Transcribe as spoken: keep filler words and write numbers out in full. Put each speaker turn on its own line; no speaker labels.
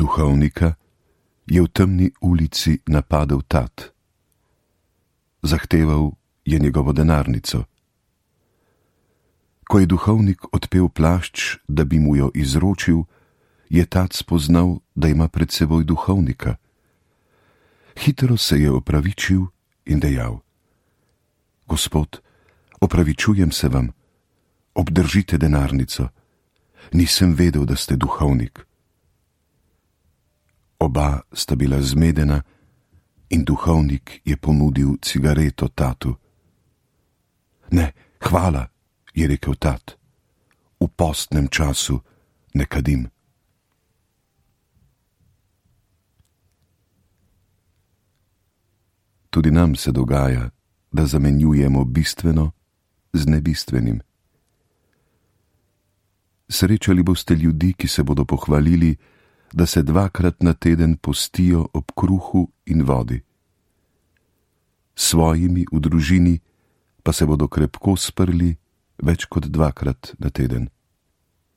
Duhovnika je v temni ulici napadel tat. Zahteval je njegovo denarnico. Ko je duhovnik odpel plašč, da bi mu jo izročil, je tat spoznal, da ima pred seboj duhovnika. Hitro se je opravičil in dejal: Gospod, opravičujem se vam, obdržite denarnico, nisem vedel, da ste duhovnik. Oba sta bila zmedena in duhovnik je ponudil cigareto tatu. Ne, hvala, je rekel tat, v postnem času ne kadim. Tudi nam se dogaja, da zamenjujemo bistveno z nebistvenim. Srečali boste ljudi, ki se bodo pohvalili, da se dvakrat na teden postijo ob kruhu in vodi. Svojimi v družini pa se bodo krepko sprli več kot dvakrat na teden.